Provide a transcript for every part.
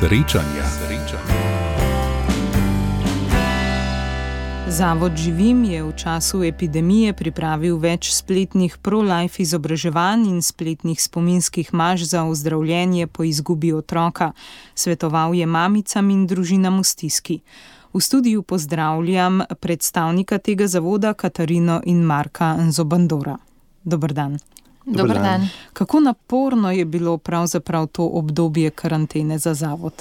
Srečanja. Zavod Živim je v času epidemije pripravil več spletnih pro-life izobraževanj in spletnih spominskih maš za ozdravljenje po izgubi otroka. Svetoval je mamicam in družinam v stiski. V studiu pozdravljam predstavnika tega zavoda Katarino in Marka Nzobandora. Dober dan. Dober dan. Kako naporno je bilo pravzaprav to obdobje karantene za zavod?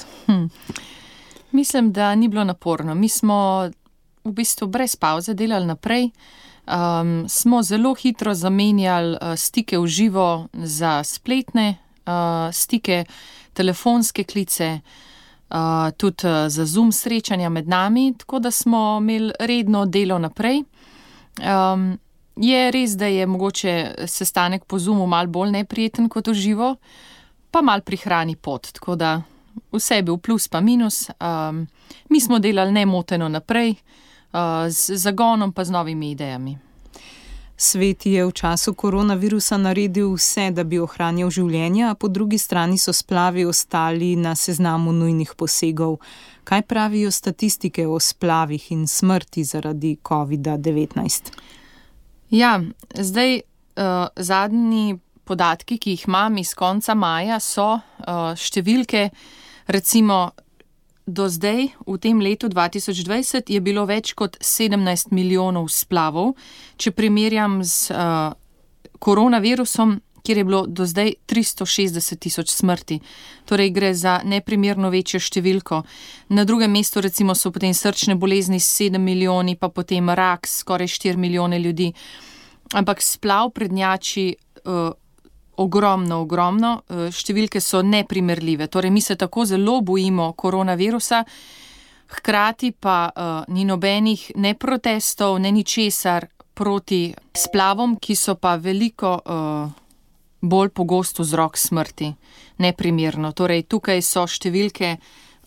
Mislim, da ni bilo naporno. Mi smo v bistvu brez pauze delali naprej. Smo zelo hitro zamenjali stike v živo za spletne stike, telefonske klice, tudi za Zoom srečanja med nami, tako da smo imeli redno delo naprej. Je res, da je mogoče sestanek po Zoomu malo bolj neprijeten kot v živo, pa malo prihrani pot, tako da vse je bil plus pa minus. Mi smo delali nemoteno naprej, z zagonom pa z novimi idejami. Svet je v času koronavirusa naredil vse, da bi ohranjal življenja, a po drugi strani so splavi ostali na seznamu nujnih posegov. Kaj pravijo statistike o splavih in smrti zaradi COVID-19? Ja, zdaj zadnji podatki, ki jih imam iz konca maja, so številke, recimo do zdaj v tem letu 2020 je bilo več kot 17 milijonov splavov, če primerjam z koronavirusom, kjer je bilo do zdaj 360 tisoč smrti. Torej gre za neprimerno večjo številko. Na drugem mestu recimo so potem srčne bolezni s 7 milijoni, pa potem rak skoraj 4 milijone ljudi. Ampak splav prednjači ogromno. Številke so neprimerljive. Torej mi se tako zelo bojimo koronavirusa, hkrati pa ni nobenih ne protestov, ne ničesar proti splavom, ki so pa veliko bolj pogost vzrok smrti, neprimerno. Torej, tukaj so številke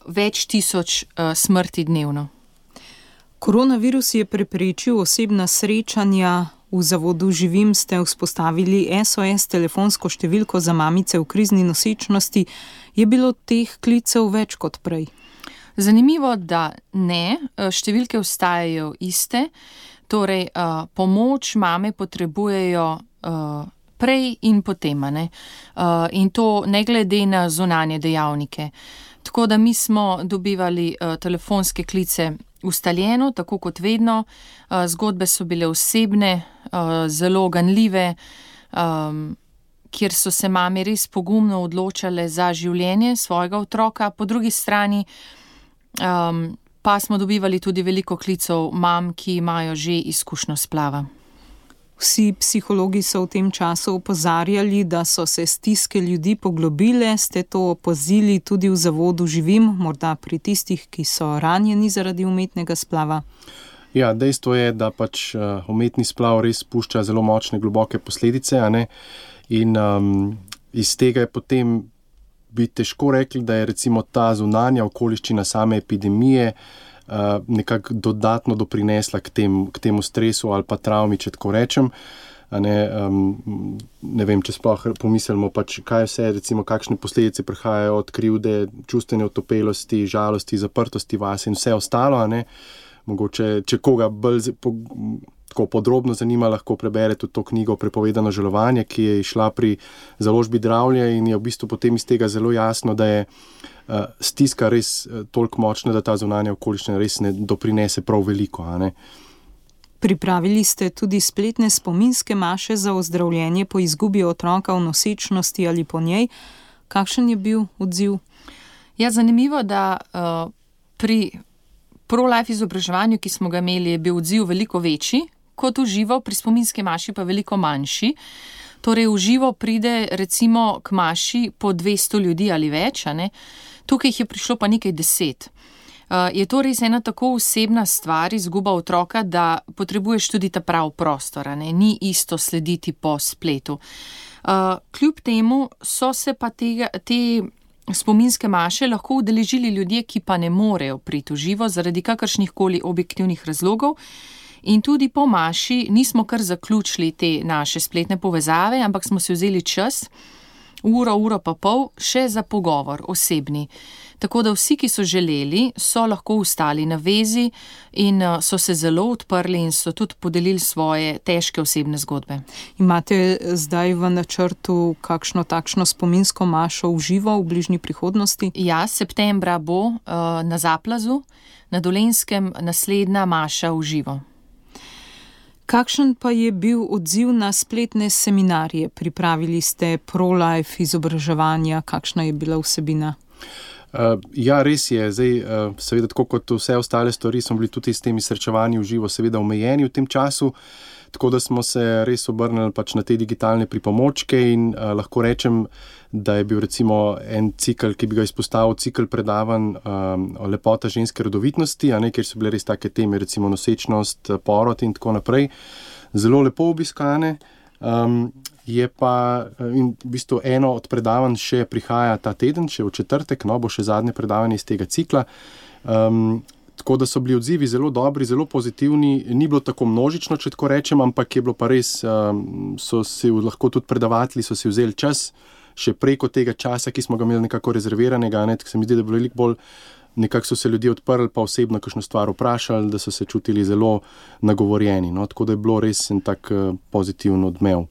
več tisoč smrti dnevno. Koronavirus je preprečil osebna srečanja. V zavodu Živim ste vzpostavili SOS telefonsko številko za mamice v krizni nosečnosti. Je bilo teh klicev več kot prej? Zanimivo, da ne. Številke ostajajo iste. Torej, pomoč mame potrebujejo prej in potem, ne? In to ne glede na zunanje dejavnike. Tako da mi smo dobivali telefonske klice ustaljeno, tako kot vedno. Zgodbe so bile osebne, zelo ganljive, kjer so se mame res pogumno odločale za življenje svojega otroka. Po drugi strani pa smo dobivali tudi veliko klicev mam, ki imajo že izkušnjo splava. Vsi psihologi so v tem času opozarjali, da so se stiske ljudi poglobile. Ste to opazili tudi v zavodu Živim, morda pri tistih, ki so ranjeni zaradi umetnega splava? Ja, dejstvo je, da pač umetni splav res pušča zelo močne, globoke posledice, a ne? In iz tega je potem bi težko rekli, da je recimo ta zunanja okoliščina same epidemije nekako dodatno doprinesla k temu stresu ali pa travmi, če tako rečem. Ne vem, če sploh pomislimo, pač kaj vse, recimo, kakšne posledice prihajajo od krivde, čustvene otopelosti, žalosti, zaprtosti vase in vse ostalo, a ne. Mogoče, če koga bolj tako podrobno zanima, lahko prebere tudi to knjigo Prepovedano žalovanje, ki je išla pri založbi Dravlje in je v bistvu potem iz tega zelo jasno, da je stiska res toliko močna, da ta zunanja okoliščina res ne doprinese prav veliko, a ne. Pripravili ste tudi spletne spominske maše za ozdravljenje po izgubi otroka v nosečnosti ali po njej. Kakšen je bil odziv? Ja, zanimivo, da pri pro-life izobraževanju, ki smo ga imeli, je bil odziv veliko večji kot v živo, pri spominski maši pa veliko manjši. Torej v živo pride recimo k maši po 200 ljudi ali več, a ne? Tukaj jih je prišlo pa nekaj 10. Je to res ena tako osebna stvar, izguba otroka, da potrebuješ tudi ta prav prostor, a ne? Ni isto slediti po spletu. Kljub temu so se pa te spominske maše lahko udeležili ljudje, ki pa ne morejo priti v živo zaradi kakršnihkoli objektivnih razlogov. In tudi po maši nismo kar zaključili te naše spletne povezave, ampak smo si vzeli čas uro pa pol še za pogovor osebni. Tako da vsi, ki so želeli, so lahko ostali na vezi in so se zelo odprli in so tudi podelili svoje težke osebne zgodbe. Imate zdaj v načrtu kakšno takšno spominsko mašo v živo v bližnji prihodnosti? Ja, septembra bo na Zaplazu, na Dolenjskem, naslednja maša v živo. Kakšen pa je bil odziv na spletne seminarje? Pripravili ste pro-life izobraževanja, kakšna je bila vsebina? Ja, res je. Zdaj, seveda, tako kot vse ostale stvari, smo bili tudi s temi srečevanji v živo seveda omejeni v tem času, tako da smo se res obrnili pač na te digitalne pripomočke in lahko rečem, da je bil recimo en cikel, ki bi ga izpostavil, cikel predavanj o lepota ženske rodovitnosti, kjer so bile res take teme, recimo nosečnost, porod in tako naprej, zelo lepo obiskane. Je pa in v bistvu eno od predavanj še prihaja ta teden, še v četrtek, bo še zadnje predavanje iz tega cikla. Tako da so bili odzivi zelo dobri, zelo pozitivni, ni bilo tako množično, če tako rečem, ampak je bilo pa res, so si lahko tudi predavatelji, so si vzeli čas, še preko tega časa, ki smo ga imeli nekako rezerviranega, tako se mi zdi, da je bilo veliko bolj, nekako so se ljudje odprli, pa osebno kakšno stvar vprašali, da so se čutili zelo nagovorjeni, tako da je bilo res en tak pozitiven odmev.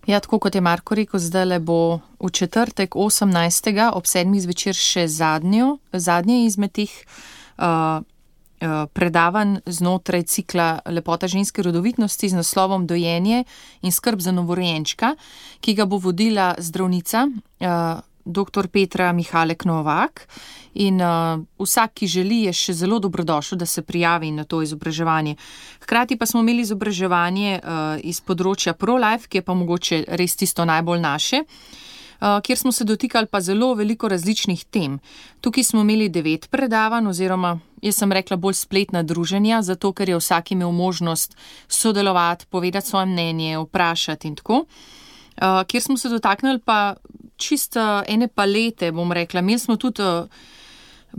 Ja, tako kot je Marko rekel, zdajle bo v četrtek 18. ob 7. zvečer še zadnje izmed teh predavanj znotraj cikla Lepota ženske rodovitnosti z naslovom Dojenje in skrb za novorojenčka, ki ga bo vodila zdravnica dr. Petra Mihalek Novak. In vsak, ki želi, je še zelo dobrodošel, da se prijavi na to izobraževanje. Hkrati pa smo imeli izobraževanje iz področja pro-life, ki je pa mogoče res tisto najbolj naše, kjer smo se dotikali pa zelo veliko različnih tem. Tukaj smo imeli 9 predavanj, oziroma jaz sem rekla bolj spletna druženja, zato ker je vsak imel možnost sodelovati, povedati svoje mnenje, vprašati in tako. Kjer smo se dotaknili pa čisto ene palete, bom rekla. Imeli smo tudi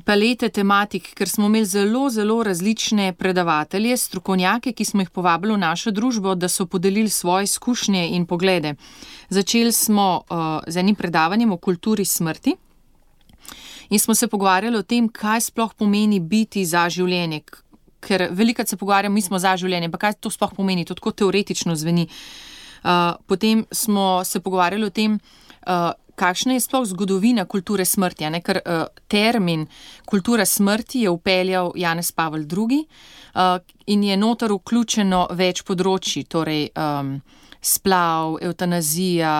palete tematik, ker smo imeli zelo, zelo različne predavatelje, strokovnjake, ki smo jih povabili v našo družbo, da so podelili svoje izkušnje in poglede. Začeli smo z enim predavanjem o kulturi smrti in smo se pogovarjali o tem, kaj sploh pomeni biti za življenje. Ker velikokrat se pogovarjamo, mi smo za življenje, pa kaj to sploh pomeni, to tako teoretično zveni. Potem smo se pogovarjali o tem, kakšna je sploh zgodovina kulture smrti, ker termin kultura smrti je vpeljal Janez Pavel II. In je noter vključeno več področji, torej splav, evtanazija,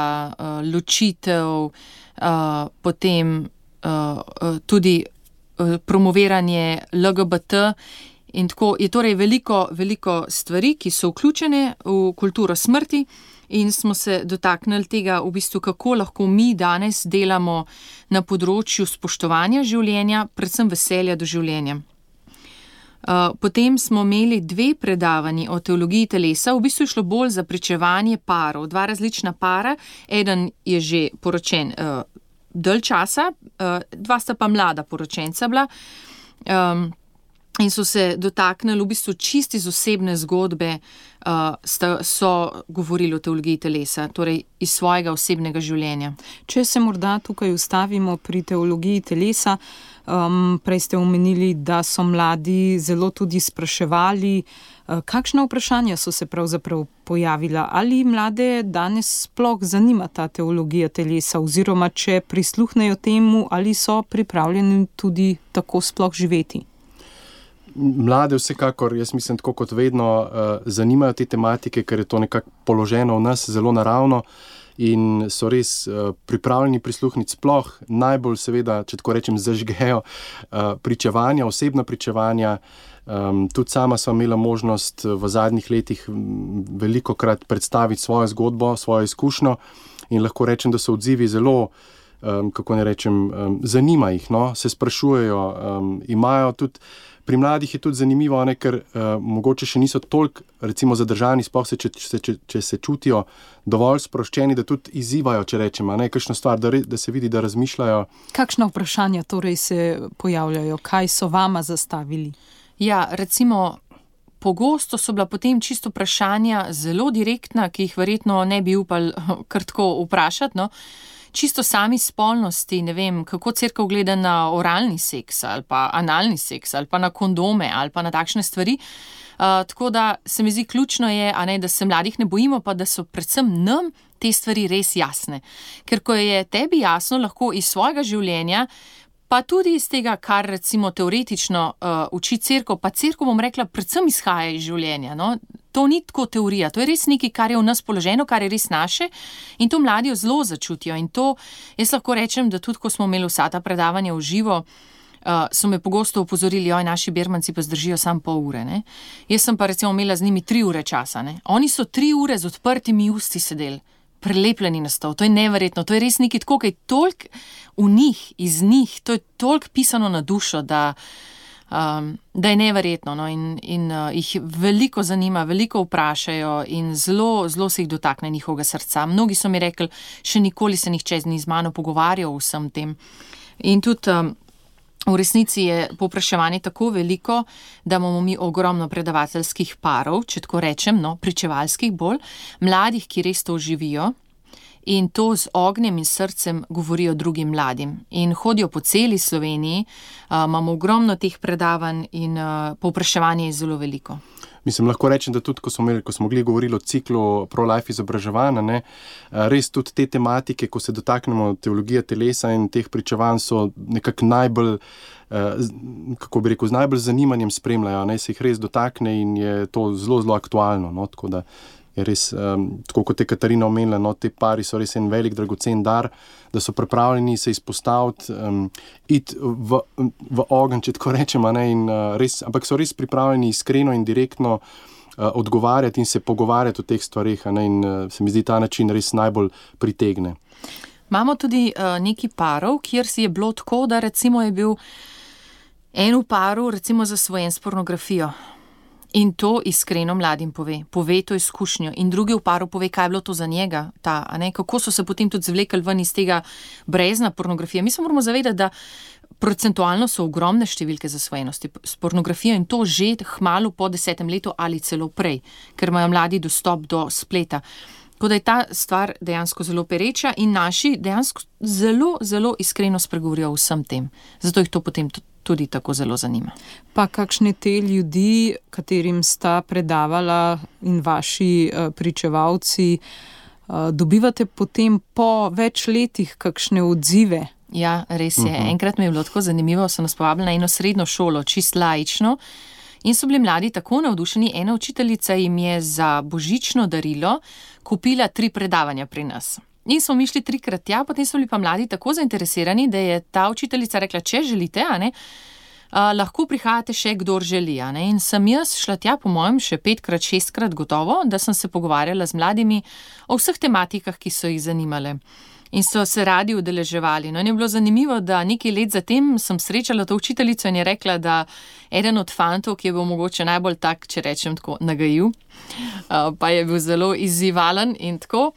ločitev, potem tudi promoviranje LGBT in tako. Je torej veliko stvari, ki so vključene v kulturo smrti. In smo se dotaknili tega, v bistvu, kako lahko mi danes delamo na področju spoštovanja življenja, predvsem veselja do življenja. Potem smo imeli 2 predavanji o teologiji telesa, v bistvu je šlo bolj za pričevanje parov, 2 različna para, eden je že poročen dalj časa, 2 sta pa mlada poročenca bila. In so se dotaknili v bistvu čisti iz osebne zgodbe, so govorili o teologiji telesa, torej iz svojega osebnega življenja. Če se morda tukaj ustavimo pri teologiji telesa, prej ste omenili, da so mladi zelo tudi spraševali, kakšna vprašanja so se pravzaprav pojavila, ali mlade danes sploh zanima ta teologija telesa, oziroma če prisluhnejo temu, ali so pripravljeni tudi tako sploh živeti. Mlade vsekakor, jaz mislim, tako kot vedno, zanimajo te tematike, ker je to nekako položeno v nas zelo naravno in so res pripravljeni prisluhniti sploh, najbolj seveda, če tako rečem, zažgejo pričevanja, osebna pričevanja. Tudi sama sva imela možnost v zadnjih letih velikokrat predstaviti svojo zgodbo, svojo izkušnjo in lahko rečem, da so odzivi zelo, kako ne rečem, zanima jih, se sprašujejo, imajo tudi. Pri mladih je tudi zanimivo, ker mogoče še niso toliko, recimo, zadržani, sploh če se čutijo dovolj sproščeni, da tudi izzivajo, če rečemo, kakšno stvar, da se vidi, da razmišljajo. Kakšna vprašanja torej se pojavljajo? Kaj so vama zastavili? Ja, recimo pogosto so bila potem čisto vprašanja zelo direktna, ki jih verjetno ne bi upali kar tako vprašati, no. Čisto sami spolnosti, ne vem, kako cerkev gleda na oralni seks ali pa analni seks ali pa na kondome ali pa na takšne stvari. Tako da se mi zdi ključno je, da se mladih ne bojimo, pa da so predvsem nam te stvari res jasne. Ker ko je tebi jasno, lahko iz svojega življenja, pa tudi iz tega, kar recimo teoretično uči cerkev, pa cerkev, bom rekla, predvsem izhaja iz življenja, no. To ni tako teorija, to je res nekaj, kar je v nas položeno, kar je res naše in to mladi zelo začutijo. In to, jaz lahko rečem, da tudi, ko smo imeli vsa ta predavanja v živo, so me pogosto opozorili, naši bermanci pa zdržijo samo pol ure, ne. Jaz sem pa recimo imela z njimi 3 ure časa, ne. Oni so 3 ure z odprtimi usti sedeli, prelepljeni na stol, to je neverjetno, to je res nekaj tako, kaj je toliko v njih, iz njih, to je toliko pisano na dušo, da je neverjetno, no, in jih veliko zanima, veliko vprašajo in zelo, zelo se jih dotakne njihovega srca. Mnogi so mi rekli, še nikoli se nihče ni z mano pogovarjal o vsem tem. In tudi v resnici je povpraševanje tako veliko, da imamo mi ogromno predavateljskih parov, če tako rečem, no, pričevalskih bolj, mladih, ki res to živijo in to z ognjem in srcem govorijo drugim mladim. In hodijo po celi Sloveniji, imamo ogromno teh predavanj in povpraševanje je zelo veliko. Mislim, lahko rečem, da tudi, ko smo govorili o ciklu pro-life izobraževanja, res tudi te tematike, ko se dotaknemo teologije telesa in teh pričevanj, so nekako najbolj, kako bi rekel, z najbolj zanimanjem spremljajo, se jih res dotakne in je to zelo, zelo aktualno, no, tako da je res, tako kot je Katarina omenila, no, te pari so res en velik dragocen dar, da so pripravljeni se izpostaviti, iti v ogenj, če tako rečemo, in ampak so res pripravljeni iskreno in direktno odgovarjati in se pogovarjati o teh stvareh, in se mi zdi ta način res najbolj pritegne. Imamo tudi nekaj parov, kjer si je bilo tako, da recimo je bil en v paru recimo zasvojen s pornografijo. In to iskreno mladim pove to izkušnjo. In drugi v paru pove, kaj je bilo to za njega, kako so se potem tudi zvlekli ven iz tega brezna pornografije. Mi se moramo zavedati, da procentualno so ogromne številke zasvojenosti s pornografijo in to že hmalu po 10. letu ali celo prej, ker imajo mladi dostop do spleta. Tako da je ta stvar dejansko zelo pereča in naši dejansko zelo, zelo iskreno spregovorijo o vsem tem. Zato jih to potem tudi tako zelo zanima. Pa kakšne te ljudi, katerim sta predavala in vaši pričevalci, dobivate potem po več letih kakšne odzive? Ja, res je. Enkrat mi je bilo tako zanimivo, so nas povabili na eno srednjo šolo, čist laično, in so bili mladi tako navdušeni. Ena učiteljica jim je za božično darilo kupila 3 predavanja pri nas. In smo mi šli 3-krat tja, potem so bili pa mladi tako zainteresirani, da je ta učiteljica rekla, če želite, lahko prihajate še kdor želi. In sem jaz šla tja, po mojem, še 5-krat, 6-krat gotovo, da sem se pogovarjala z mladimi o vseh tematikah, ki so jih zanimale. In so se radi udeleževali. In je bilo zanimivo, da nekaj let zatem sem srečala to učiteljico in je rekla, da eden od fantov, ki je bil mogoče najbolj tak, če rečem tako, nagajiv, pa je bil zelo izzivalen in tako,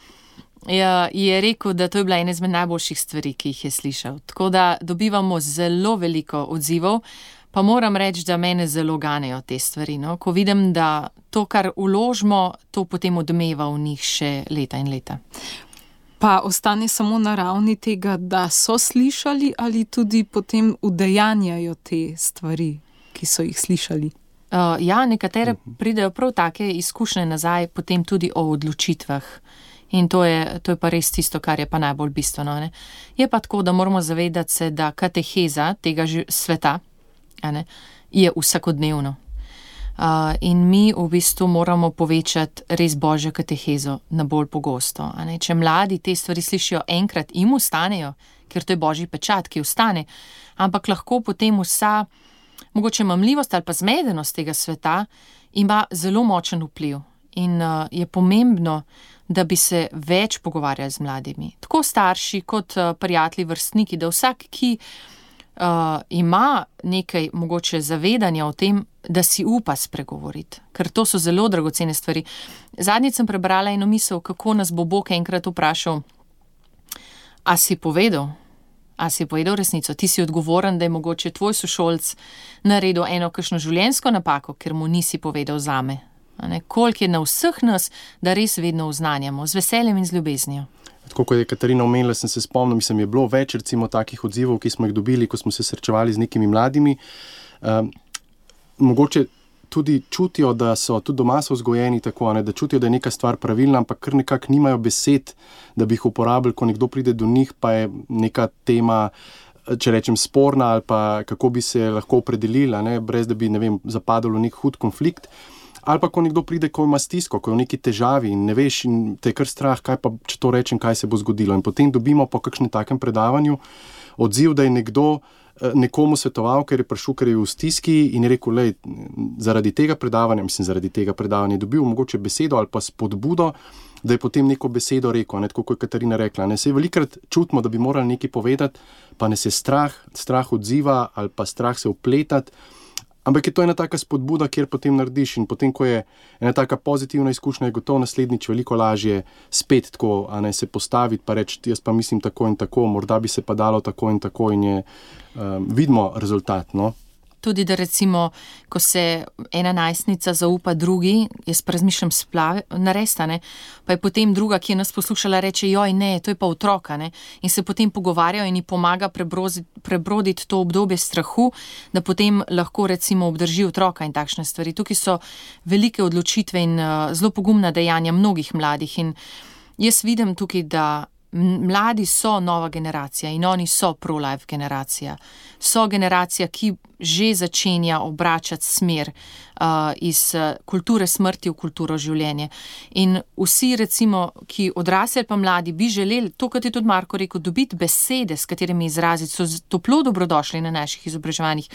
je rekel, da to je bila ena izmed najboljših stvari, ki jih je slišal. Tako da dobivamo zelo veliko odzivov, pa moram reči, da mene zelo ganejo te stvari. No? Ko vidim, da to, kar vložimo, to potem odmeva v njih še leta in leta. Pa ostane samo na ravni tega, da so slišali ali tudi potem udejanjajo te stvari, ki so jih slišali? Nekatere pridejo prav take izkušnje nazaj, potem tudi o odločitvah. In to je pa res tisto, kar je pa najbolj bistveno. Ne? Je pa tako, da moramo zavedati se, da kateheza tega sveta je vsakodnevno. In mi v bistvu moramo povečati res božjo katehezo na bolj pogosto. Če mladi te stvari slišijo enkrat, jim ustanejo, ker to je božji pečat, ki ustane, ampak lahko potem vsa mogoče mamljivost ali pa zmedenost tega sveta ima zelo močen vpliv. In je pomembno, da bi se več pogovarjali z mladimi. Tako starši kot prijatelji, vrstniki, da vsak, ki ima nekaj mogoče zavedanja o tem, da si upa spregovoriti, ker to so zelo dragocene stvari. Zadnjič sem prebrala eno misel, kako nas bo Bog enkrat vprašal, a si povedal, A si povedal resnico? Ti si odgovoren, da je mogoče tvoj sošolc naredil eno kakšno življenjsko napako, ker mu nisi povedal zame. Koliko je na vseh nas, da res vedno oznanjamo, z veseljem in z ljubeznijo. Tako kot je Katarina omenila, sem se spomnil, je bilo več recimo takih odzivov, ki smo jih dobili, ko smo se srečevali z nekimi mladimi. Mogoče tudi čutijo, da so tudi doma so vzgojeni tako, da čutijo, da je neka stvar pravilna, ampak kar nekako nimajo besed, da bi jih uporabili, ko nekdo pride do njih, pa je neka tema, če rečem, sporna ali pa kako bi se lahko opredelila, brez da bi, zapadalo v nek hud konflikt. Ali pa ko nekdo pride, ko ima stisko, ko je v neki težavi in ne veš in te je kar strah, kaj pa, če to rečem, kaj se bo zgodilo. In potem dobimo po kakšnem takem predavanju odziv, da je nekdo nekomu svetoval, ker je prišel, ker je v stiski in je rekel, zaradi tega predavanja je dobil mogoče besedo ali pa spodbudo, da je potem neko besedo rekel, tako kot je Katarina rekla. Sej velikrat čutimo, da bi morali nekaj povedati, pa nas je strah odziva ali pa strah se vpletati. Ampak je to ena taka spodbuda, kjer potem narediš in potem, ko je ena taka pozitivna izkušnja, je gotovo naslednjič veliko lažje spet tako, se postaviti pa reči, jaz pa mislim tako in tako, morda bi se pa dalo tako in tako in je, vidimo rezultat, no. Tudi, da recimo, ko se ena najstnica zaupa drugi, jaz pa razmišljam splave, naresta, pa je potem druga, ki je nas poslušala, reče, joj, ne, to je pa otroka, in se potem pogovarjajo in ji pomaga prebroditi to obdobje strahu, da potem lahko recimo obdrži otroka in takšne stvari. Tukaj so velike odločitve in zelo pogumna dejanja mnogih mladih in jaz vidim tukaj, da mladi so nova generacija in oni so pro-life generacija. So generacija, ki že začenja obračati smer iz kulture smrti v kulturo življenja. In vsi recimo, ki odrasli pa mladi, bi želeli, to, kot je tudi Marko rekel, dobiti besede, s katerimi izraziti, so toplo dobrodošli na naših izobraževanjih.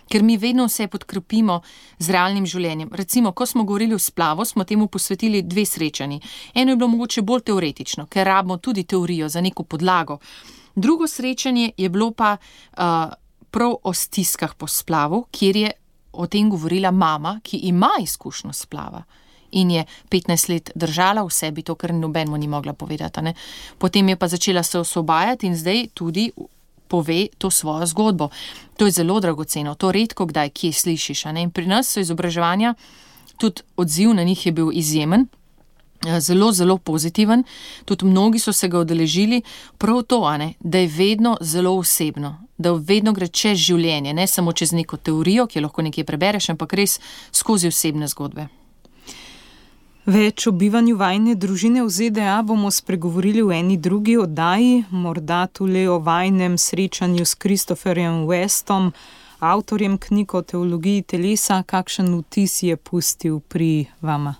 Ker mi vedno vse podkrepimo z realnim življenjem. Recimo, ko smo govorili o splavu, smo temu posvetili 2 srečanji. Eno je bilo mogoče bolj teoretično, ker rabimo tudi teorijo za neko podlago. Drugo srečanje je bilo pa prav o stiskah po splavu, kjer je o tem govorila mama, ki ima izkušnjo splava in je 15 let držala v sebi to, kar nobenemu ni mogla povedati. Potem je pa začela se osvobajati in zdaj tudi pove to svojo zgodbo. To je zelo dragoceno, to redko kdaj kje slišiš. In pri nas so izobraževanja, tudi odziv na njih je bil izjemen, zelo, zelo pozitiven, tudi mnogi so se ga udeležili, prav to, da je vedno zelo osebno, da vedno gre čez življenje, ne samo čez neko teorijo, ki jo lahko nekje prebereš, ampak res skozi osebne zgodbe. Več o bivanju vajine družine v ZDA bomo spregovorili v eni drugi oddaji, morda tudi o vajnem srečanju s Christopherjem Westom, avtorjem knjig o teologiji telesa. Kakšen vtis je pustil pri vama?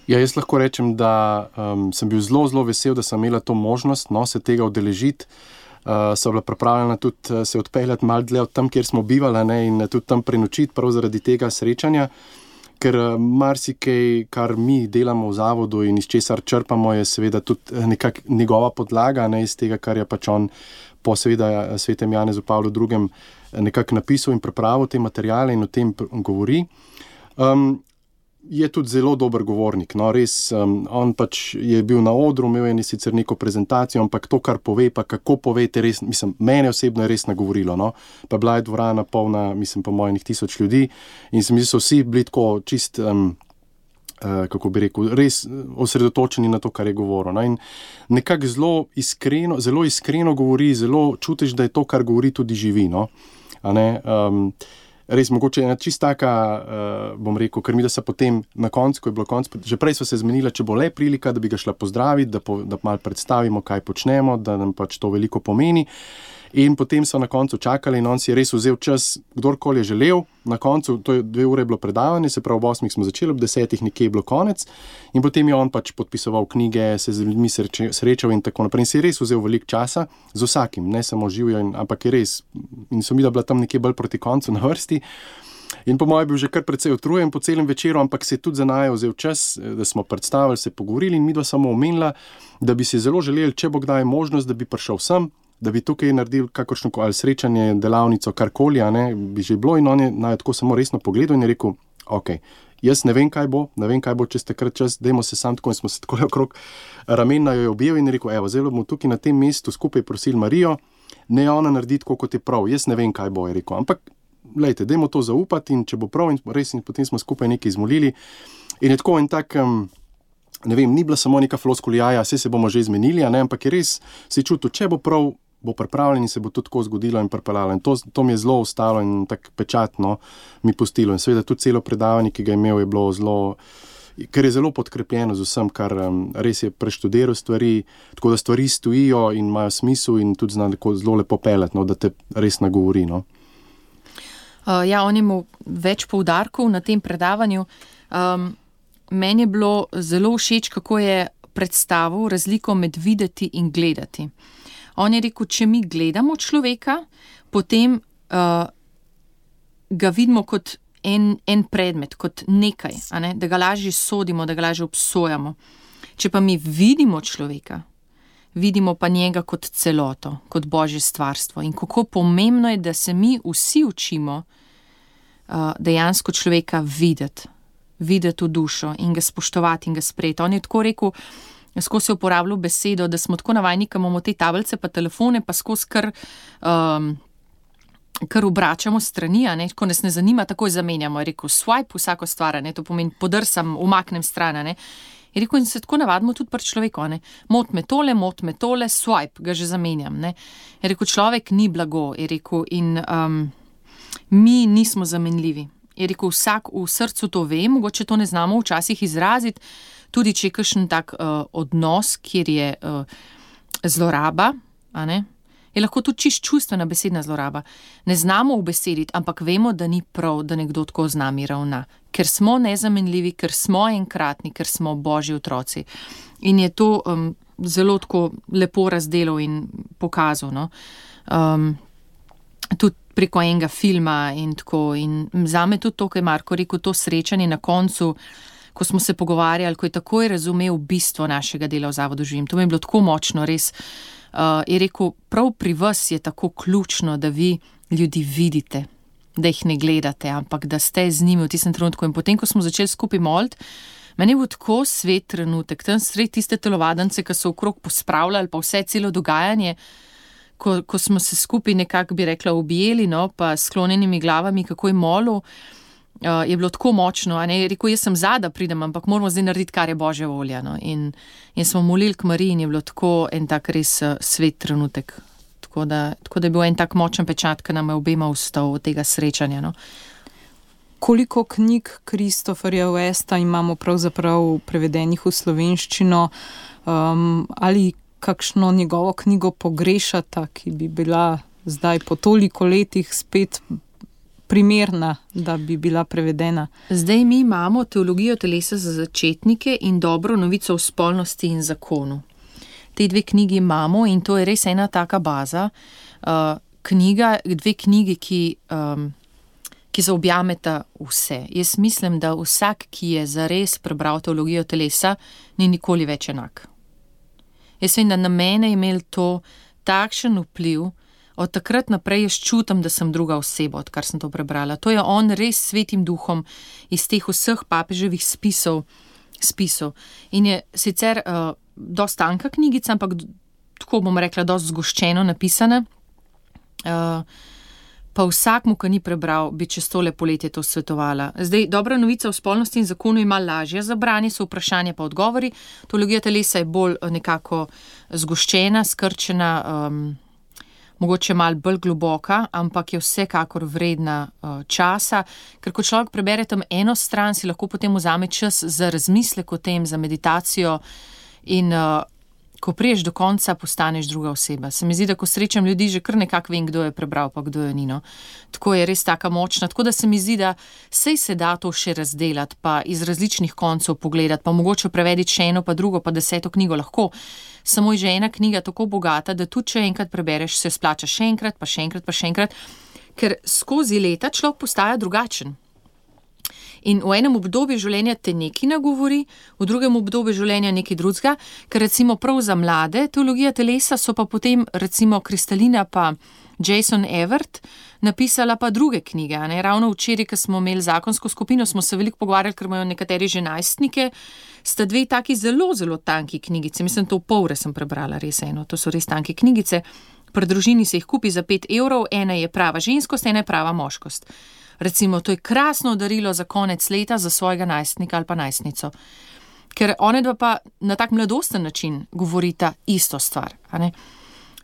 Ja, jaz lahko rečem, da sem bil zelo, zelo vesel, da sem imela to možnost, se tega udeležiti. So bila pripravljena tudi se odpeljati malo dlje od tam, kjer smo bivali, in tudi tam prenočiti prav zaradi tega srečanja. Ker marsikaj, kar mi delamo v zavodu in iz česar črpamo, je seveda tudi nekako njegova podlaga, iz tega, kar je pač on po seveda svetem Janezu Pavlu II. Nekako napisal in pripravil te materiale in o tem govori. Je tudi zelo dober govornik, res, on pač je bil na odru, imel je sicer neko prezentacijo, ampak to, kar pove, pa kako pove, res, mene osebno je res nagovorilo, pa bila je dvorana polna, po mojih 1000 ljudi in so vsi bili tako čist, kako bi rekel, res osredotočeni na to, kar je govoril. In nekako zelo iskreno govori, zelo čutiš, da je to, kar govori, tudi živi, Res, mogoče ena čist taka, bom rekel, ker mi da se potem na koncu, ko je bilo konc, že prej so se zmenila, če bo le prilika, da bi ga šla pozdraviti, da malo predstavimo, kaj počnemo, da nam pač to veliko pomeni. In potem so na koncu čakali in on si je res vzel čas, kdorkoli je želel. Na koncu, to je 2 ure bilo predavanje, se pravi ob 8 smo začeli, ob 10 nekje je bilo konec in potem je on pač podpisoval knjige, se z ljudmi srečal in tako naprej. In si je res vzel veliko časa z vsakim, ne samo živijo, ampak je res. In so mi da bila tam nekje bolj proti koncu na vrsti. In po mojem bil že kar precej utrujen po celem večeru, ampak se je tudi za naju vzel čas, da smo predstavili, se pogovorili in mi dva samo omenila, da bi si zelo želeli, če bo kdaj možnost, da bi prišel sem, da bi tukaj naredili kakršno ali srečanje, delavnico, karkoli, bi že bilo in on je naj tako samo resno pogledal in je rekel, ok, jaz ne vem, kaj bo čez takrat čas, dajmo se sam tako in smo se tako okrog ramena jo objel in je rekel, evo, zdaj bomo tukaj na tem mestu skupaj prosili Marijo, ne ona naredi tako, kot je prav, jaz ne vem, kaj bo, je rekel, ampak lejte, dajmo to zaupati in če bo prav in res in potem smo skupaj nekaj izmolili in je tako en tak, ne vem, ni bila samo neka floskula, vse se bomo že izmenili, ampak je res se čutil, če bo prav, bo pripravljen in se bo to tako zgodilo in pripeljalo in to mi je zelo ostalo in tak pečatno mi pustilo in seveda tudi celo predavanje, ki ga je imel, je bilo zelo, ker je zelo podkrepljeno z vsem, kar res je preštudiral stvari, tako da stvari stojijo in imajo smisel in tudi zna zelo lepo peljati, da te res nagovori. Ja, on je imel več poudarkov na tem predavanju. Meni je bilo zelo všeč, kako je predstavil razliko med videti in gledati. On je rekel, če mi gledamo človeka, potem ga vidimo kot en predmet, kot nekaj, da ga lažje sodimo, da ga lažje obsojamo. Če pa mi vidimo človeka, vidimo pa njega kot celoto, kot Božje stvarstvo. In kako pomembno je, da se mi vsi učimo dejansko človeka videti v dušo in ga spoštovati in ga sprejeti. On je tako rekel, skozi je uporabljal besedo, da smo tako navajni, ko imamo te tablice pa telefone, pa skozi kar obračamo strani, ko nas ne zanima, takoj zamenjamo. Je rekel, swipe vsako stvar, to pomeni podrsam, umaknem stran. Je rekel, in se tako navadimo tudi pri človeku. Mot me tole, swipe, ga že zamenjam. Je rekel, človek ni blago, je rekel, in mi nismo zamenljivi. Je rekel, vsak v srcu to ve, mogoče to ne znamo včasih izraziti, tudi če je kakšen tak odnos, kjer je zloraba, je lahko tudi čist čustvena besedna zloraba. Ne znamo ubesediti, ampak vemo, da ni prav, da nekdo tako z nami ravna. Ker smo nezamenljivi, ker smo enkratni, ker smo Božji otroci. In je to zelo tako lepo razdelal in pokazal. Tudi preko enega filma in tako. In zame tudi to, kaj je Marko rekel, to srečanje na koncu, ko smo se pogovarjali, ko je takoj razumel bistvo našega dela v Zavodu Živim. To mi je bilo tako močno, res. Je rekel, prav pri vas je tako ključno, da vi ljudi vidite, da jih ne gledate, ampak da ste z njimi v tistem trenutku. In potem, ko smo začeli skupaj moliti, meni je bil tako svet trenutek, tam sred tiste telovadence, ki so okrog pospravljali, pa vse celo dogajanje, ko smo se skupaj nekako, bi rekla, objeli, pa s sklonjenimi glavami, kako je molil, je bilo tako močno. Je rekel, jaz sem da pridem, ampak moramo zdaj narediti, kar je Božja volja. In smo molili k Mariji in je bilo tako en tak res svet trenutek. Tako da je bil en tak močen pečat, ki nam je obema ustal od tega srečanja. Koliko knjig Christopherja Westa imamo pravzaprav prevedenih v slovenščino, ali kakšno njegovo knjigo pogrešata, ki bi bila zdaj po toliko letih spet primerna, da bi bila prevedena? Zdaj mi imamo Teologijo telesa za začetnike in Dobro novico o spolnosti in zakonu. Te dve knjigi imamo in to je res ena taka baza. Dve knjigi, ki zaobjameta vse. Jaz mislim, da vsak, ki je zares prebral Teologijo telesa, ni nikoli več enak. Jaz vem, da na mene je imel to takšen vpliv, od takrat naprej jaz čutim, da sem druga oseba, odkar sem to prebrala. To je on res svetim duhom iz teh vseh papeževih spisov. In je sicer dosti tanka knjigica, ampak tako bom rekla, dosti zgoščeno napisana. Pa vsakmu, ki ni prebral, bi čez tole poletje to svetovala. Zdaj, Dobra novica o spolnosti in zakonu ima lažje za branje, so vprašanja pa odgovori. Teologija telesa je bolj nekako zgoščena, skrčena, mogoče malo bolj globoka, ampak je vsekakor vredna časa, ker ko človek prebere tam eno stran, si lahko potem vzame čas za razmislek o tem, za meditacijo in ko priješ do konca, postaneš druga oseba. Se mi zdi, da ko srečam ljudi, že kar nekako vem, kdo je prebral, pa kdo je ni. Tako je res taka močna. Tako da se mi zdi, da sej se da to še razdelati, pa iz različnih koncev pogledati, pa mogoče prevediti še eno, pa drugo, pa 10. knjigo lahko. Samo je že ena knjiga tako bogata, da tudi če enkrat prebereš, se splača še enkrat, pa še enkrat, pa še enkrat, ker skozi leta človek postaja drugačen. In v enem obdobju življenja te nekaj nagovori, v drugem obdobju življenja nekaj drugega, ker recimo prav za mlade Teologija telesa so pa potem recimo Kristalina pa Jason Evert napisala pa druge knjige. Ravno včeraj, ko smo imeli zakonsko skupino, smo se veliko pogovarjali, ker imajo nekateri že najstnike, sta dve taki zelo, zelo tanki knjigice. Mislim, to v pol ure sem prebrala res eno, to so res tanke knjigice. Pri družini se jih kupi za 5 €, ena je prava ženskost, ena je prava moškost. Recimo, to je krasno darilo za konec leta za svojega najstnika ali pa najstnico. Ker one dva pa na tak mladosten način govorita isto stvar, a ne?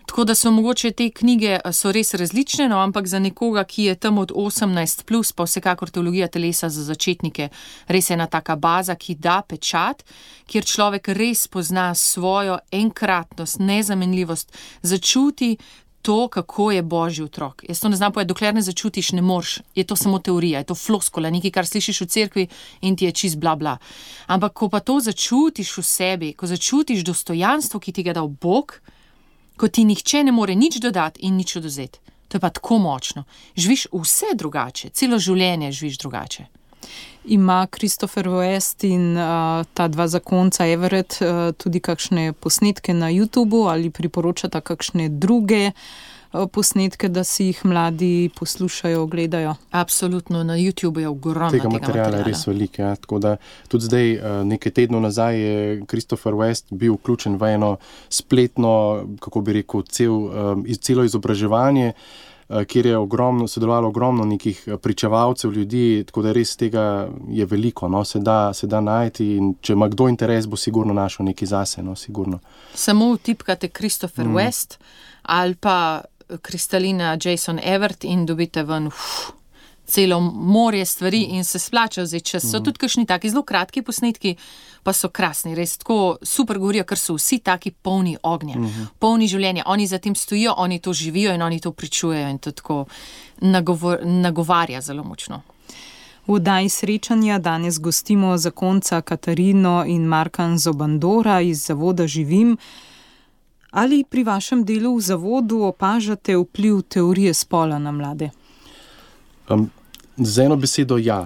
Tako da so mogoče te knjige so res različne, no, ampak za nekoga, ki je tam od 18+, pa vsekakor teologija telesa za začetnike, res je ena taka baza, ki da pečat, kjer človek res pozna svojo enkratnost, nezamenljivost, začuti to, kako je Božji otrok. Jaz to ne znam povedati, dokler ne začutiš, ne moreš, je to samo teorija, je to floskula, nekaj, kar slišiš v cerkvi in ti je čist bla bla. Ampak ko pa to začutiš v sebi, ko začutiš dostojanstvo, ki ti ga dal Bog, ko ti nihče ne more nič dodati in nič odvzeti. To je pa tako močno. Živiš vse drugače, celo življenje živiš drugače. Ima Christopher West in ta dva zakonca Everett tudi kakšne posnetke na YouTubu ali priporočata kakšne druge posnetke, da si jih mladi poslušajo, gledajo? Absolutno, na YouTubu je ogromno tega materiala. Je res veliko, ja. Tako da tudi zdaj, nekaj tednov nazaj je Christopher West bil vključen v eno spletno, kako bi rekel, celo izobraževanje, kjer je sodelovalo ogromno nekih pričevalcev ljudi, tako da res tega je veliko, no, se da najti in če ima kdo interes, bo sigurno našel nekaj zase, no, sigurno. Samo vtipkate Christopher West ali pa Kristalina Jason Everett in dobite ven celo morje stvari in se splača vzeti čas. So tudi kakšni taki zelo kratki posnetki, pa so krasni, res tako super govorijo, ker so vsi taki polni ognja, polni življenja. Oni za tem stojijo, oni to živijo in oni to pričujejo in to tako nagovarja zelo močno. V oddaji Srečanja danes gostimo zakonca Katarino in Marka Zobandora iz zavoda Živim. Ali pri vašem delu v zavodu opažate vpliv teorije spola na mlade? Z eno besedo ja.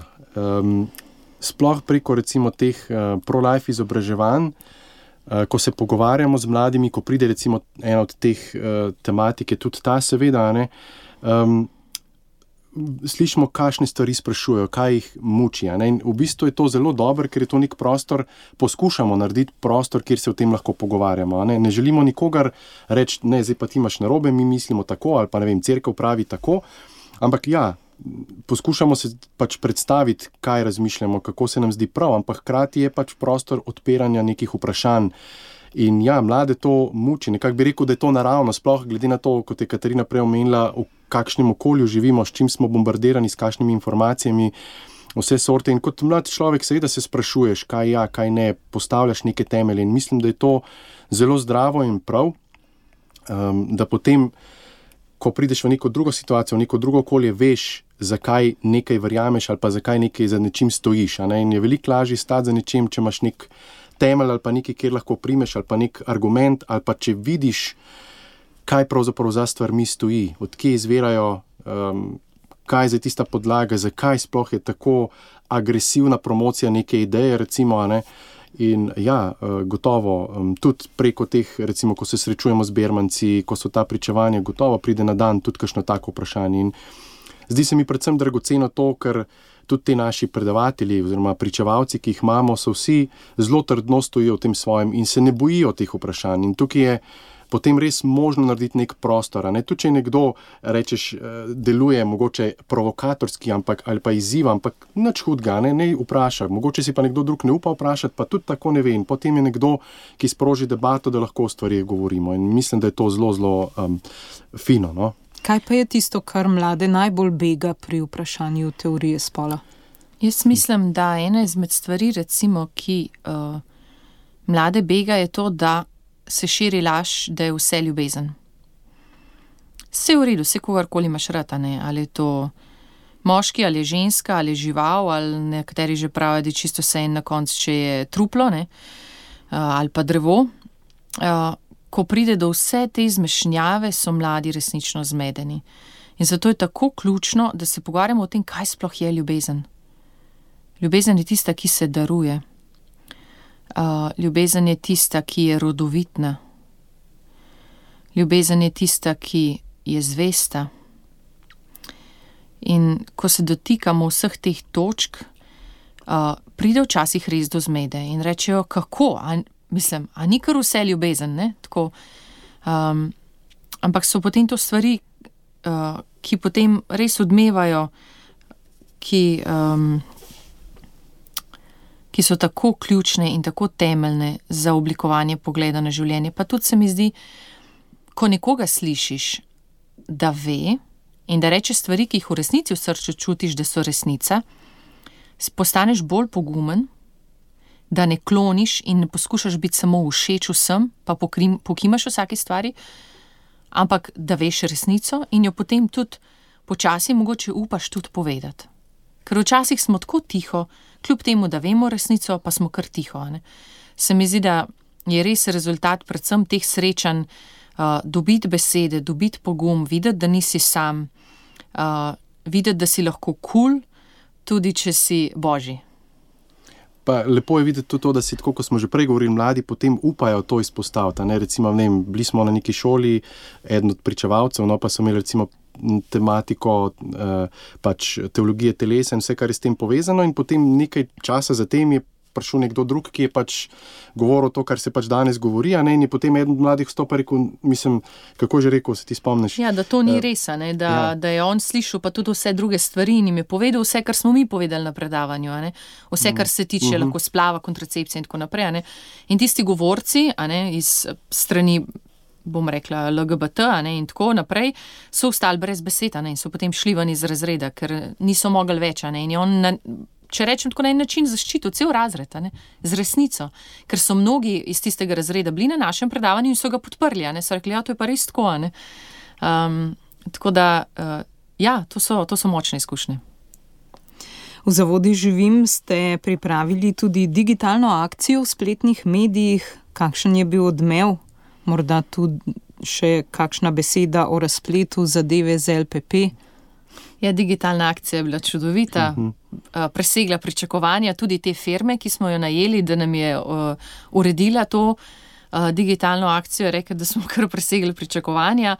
Sploh preko recimo teh pro-life izobraževanj, ko se pogovarjamo z mladimi, ko pride recimo ena od teh tematik, je tudi ta seveda, ne, slišimo, kakšne stvari sprašujejo, kaj jih muči. Ne? In v bistvu je to zelo dobro, ker je to nek prostor, poskušamo narediti prostor, kjer se o tem lahko pogovarjamo. Ne želimo nikogar reči, ne, zdaj pa ti imaš narobe, mi mislimo tako, ali pa ne vem, cerkev pravi tako, ampak ja, poskušamo se pač predstaviti, kaj razmišljamo, kako se nam zdi prav, ampak hkrati je pač prostor odpiranja nekih vprašanj. In ja, mlade to muči, nekako bi rekel, da je to naravno, sploh glede na to, kot je Katarina prej omenila, v kakšnem okolju živimo, s čim smo bombardirani, s kakšnimi informacijami, vse sorte. In kot mlad človek seveda se sprašuješ, kaj ja, kaj ne, postavljaš neke temelje. In mislim, da je to zelo zdravo in prav, da potem, ko prideš v neko drugo situacijo, v neko drugo okolje, veš, zakaj nekaj verjameš ali pa zakaj nekaj za nečim stojiš. Ne? In je veliko lažje stati za nečim, če imaš nek temelj ali pa nekaj, kjer lahko primeš ali pa nek argument ali pa če vidiš, kaj pravzaprav za stvarmi stoji, odkje izvirajo, kaj je tista podlaga, zakaj sploh je tako agresivna promocija neke ideje, recimo, ne? In ja, gotovo, tudi preko teh, recimo, ko se srečujemo z bermanci, ko so ta pričevanja, gotovo pride na dan tudi kakšno tako vprašanje. In zdi se mi predvsem dragoceno to, ker tudi ti naši predavatelji oziroma pričevalci, ki jih imamo, so vsi zelo trdno stojijo v tem svojem in se ne bojijo teh vprašanj. In tukaj je potem res možno narediti nek prostor. Ne? Tudi če nekdo, rečeš, deluje mogoče provokatorski ali pa izziva, ampak nič hudega, ne vpraša. Mogoče si pa nekdo drug ne upa vprašati, pa tudi tako ne ve. In potem je nekdo, ki sproži debato, da lahko o stvarih govorimo. In mislim, da je to zelo, zelo fino, no? Kaj pa je tisto, kar mlade najbolj bega pri vprašanju teorije spola? Jaz mislim, da ena izmed stvari, recimo, ki mlade bega, je to, da se širi laž, da je vse ljubezen. Vse v redu, vse kogarkoli imaš rad, ne? Ali je to moški, ali je ženska, ali je žival, ali nekateri že pravijo, da je čisto vse in na koncu, če je truplo, ne? Ali pa drevo. Ko pride do vse te izmešnjave, so mladi resnično zmedeni. In zato je tako ključno, da se pogovarjamo o tem, kaj sploh je ljubezen. Ljubezen je tista, ki se daruje. Ljubezen je tista, ki je rodovitna. Ljubezen je tista, ki je zvesta. In ko se dotikamo vseh teh točk, pride včasih res do zmede in rečejo, kako? A ni kar vse ljubezen, ne? Tako, ampak so potem to stvari, ki potem res odmevajo, ki so tako ključne in tako temeljne za oblikovanje pogleda na življenje. Pa tudi se mi zdi, ko nekoga slišiš, da ve in da reče stvari, ki jih v resnici v srcu čutiš, da so resnica, postaneš bolj pogumen, da ne kloniš in ne poskušaš biti samo všeč vsem, pa pokimaš vsaki stvari, ampak da veš resnico in jo potem tudi počasi mogoče upaš tudi povedati. Ker včasih smo tako tiho, kljub temu, da vemo resnico, pa smo kar tiho. Ne? Se mi zdi, da je res rezultat predvsem teh srečanj, dobiti besede, dobiti pogum, videti, da nisi sam, videti, da si lahko kul, tudi če si božji. Pa lepo je videti tudi to, da si, tako kot smo že prej govorili, mladi potem upajo to izpostaviti. Recimo, bili smo na neki šoli, eden od pričevalcev, pa so imeli recimo tematiko pač teologije telesa in vse, kar je s tem povezano, in potem nekaj časa zatem je prišel nekdo drug, ki je pač govoril to, kar se pač danes govori, in je potem eden od mladih vstopil, rekel, mislim, kako že rekel, se ti spomniš? Ja, da to ni res, da je on slišal pa tudi vse druge stvari in jim je povedal vse, kar smo mi povedali na predavanju, vse, kar se tiče lahko splava, kontracepcije in tako naprej. In tisti govorci iz strani, bom rekla, LGBT in tako naprej, so ostali brez besed in so potem šli ven iz razreda, ker niso mogli več. In je on, če rečem tako, na en način zaščitil cel razred, z resnico, ker so mnogi iz tistega razreda bili na našem predavanju in so ga podprli, so rekli, ja, to je pa res tako. Tako da, ja, to so močne izkušnje. V Zavodi Živim ste pripravili tudi digitalno akcijo v spletnih medijih. Kakšen je bil odmev? Morda tudi še kakšna beseda o razpletu zadeve z LPP? Ja, digitalna akcija je bila čudovita, presegla pričakovanja tudi te firme, ki smo jo najeli, da nam je uredila to digitalno akcijo, rekla, da smo kar presegli pričakovanja.